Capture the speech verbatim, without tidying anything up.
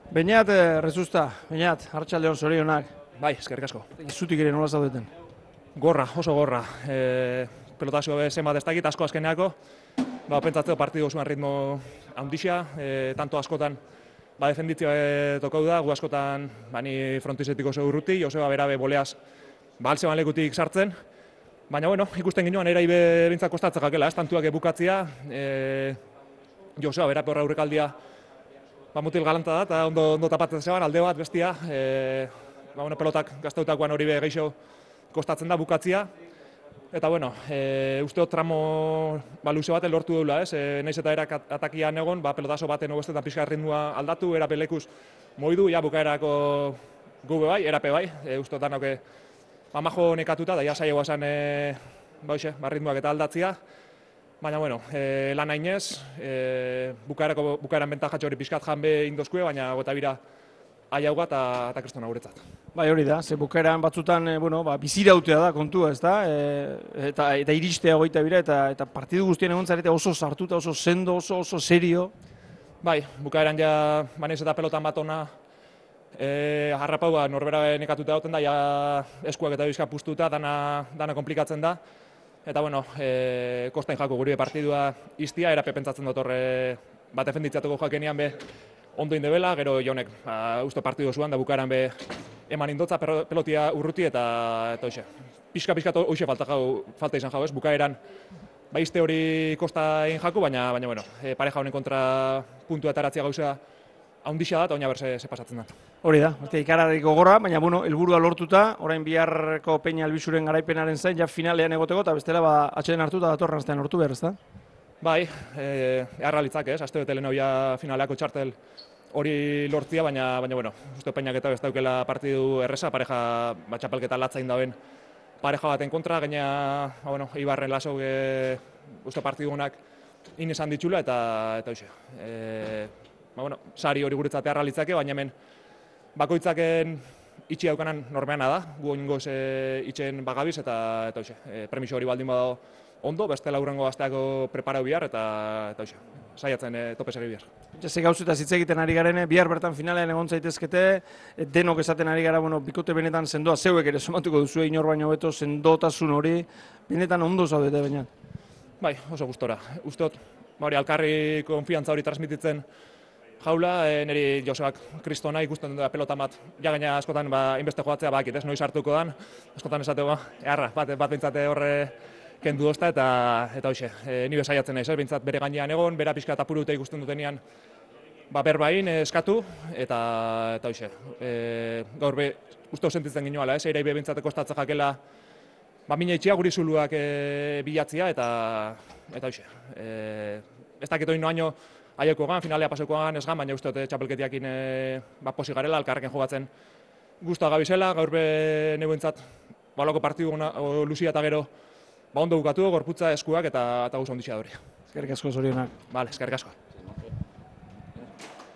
Beñat, Rezusta, Beñat, Arratsaldeon zorionak. Bai, eskerrik asko. Zutik ere nola zaudeten? Gorra, oso gorra. E, pelotazio zenbat ez dakit, asko azkeneako. Ba, pentsatzeko partidu osoan ritmo handixa, e, tanto askotan ba, defenditzia e, tokau da, gu askotan ba, ni frontizetik oso urruti, Joseba berabe boleaz ba, altzeban lekutik sartzen. Baina, bueno, ikusten ginoan erai bintzak kostatzen jakela, ez tantuak bukatzia. E, Joseba berape horra aurrekaldia ba, mutil galanta da, eta ondo, ondo tapatzen zeban, alde bat, bestia. E, ba, bueno, pelotak gazteutakoan hori be geixo kostatzen da bukatzia. Eta, bueno, e, uste dut tramo ba, luze baten lortu deula, ez? E, naiz eta erak atakian egon, ba, pelotazo baten ogoestetan pixka ritmoa aldatu, erape lekuz moidu, ja, bukaerako gube bai, erape bai. E, uste dut danok ba, majo nekatuta, da ja saiegoa zen e, ba, oixe, ba, ritmoak eta aldatzia. Baina, bueno, e, lan hainez, e, bukaerako, bukaeran bentajatxo hori pixkat janbe indozkue, baina gota bira aiauga eta kristona guretzat. Bai, hori da, ze bukaeran batzutan, e, bueno, ba, bizirautea da kontua, ez da? E, eta, eta iristea goita bira, eta, eta partidu guztien egon zarete oso sartuta, oso sendo, oso, oso serio. Bai, bukaeran ja, banez eta pelotan bat ona, e, harrapau ba, norbera nekatuta dauten da, ja eskuak eta bizka puztuta, dana, dana komplikatzen da. Eta, bueno, e, kostain jako guri partidua iztia, erape pentsatzen dut horre bat defenditziatuko jakenian be ondo indebela, gero jonek ba, uste partidu zuan, da bukaeran be eman indotza pelotia urruti eta eta hoxe. Pixka-pixka hoxe falta, falta izan jau, ez? Bukaeran ba izte hori kostain jaku, baina, baina bueno, e, pareja honen kontra puntua eta eratzia gauza haundixa da, eta oina berse ze pasatzen da. Hori da, ikararik gogorra, baina bueno, helburua lortuta, orain biharko Peña Albizuren garaipenaren zain, ja finalean egoteko, eta bestela ba, atxeden hartuta datorren aztean lortu behar, ez da? Bai, e, eharra litzak, ez? Aste bete leheno ja finaleako txartel hori lortzia, baina, baina bueno, uste Peñak eta ez daukela partidu erresa, pareja ba, txapelketa latzain dauen pareja baten kontra, gaina, ba, bueno, Ibarren lasau e, uste partidu honak inesan ditxula, eta, eta hoxe. E, ba, bueno, sari hori guretzat eharra litzake, baina hemen bakoitzaken itxi daukanan normeana da, gu oingoz e, itxen bagabiz, eta, eta hoxe, e, premiso hori baldin badago ondo, beste laurrengo gazteako preparau bihar, eta, eta hoxe, saiatzen e, tope segi bihar. Ze gauzetaz hitz egiten ari garen, bihar bertan finalean egon zaitezkete, denok esaten ari gara, bueno, bikote benetan sendoa, zeuek ere somatuko duzu inor baino beto, sendotasun hori, benetan ondo zaudete baina. Bai, oso gustora. Uste dut, hori alkarri konfiantza hori transmititzen jaula, e, niri Josebak kristona ikusten da pelota bat, ja gaina askotan ba, inbeste joatzea bakit, ez, noiz hartuko dan, askotan esateko, eharra, bat, bat bintzate horre kendu dozta, eta, eta hoxe, e, nire saiatzen naiz, bintzat bere gainean egon, bera pixka eta apurute ikusten dutenean, ba, berbain eskatu, eta, eta hoxe, e, gaur be, uste sentitzen ginoala, ez, eirai be bintzate kostatzen jakela, ba, mina itxia guri zuluak e, bilatzia, eta, eta hoxe, e, ez dakit oin noaino, aieko gan, finalea paseko gan, ez gan, baina uste dut txapelketiakin e, ba, posi garela, alkarrekin jogatzen guztua gabizela, gaur be neuentzat, ba, olako partidu o, luzia eta gero, ba, ondo bukatu, gorputza eskuak eta, eta guzti ondixea hori. Eskerrik asko zorionak. Bale, eskerrik asko.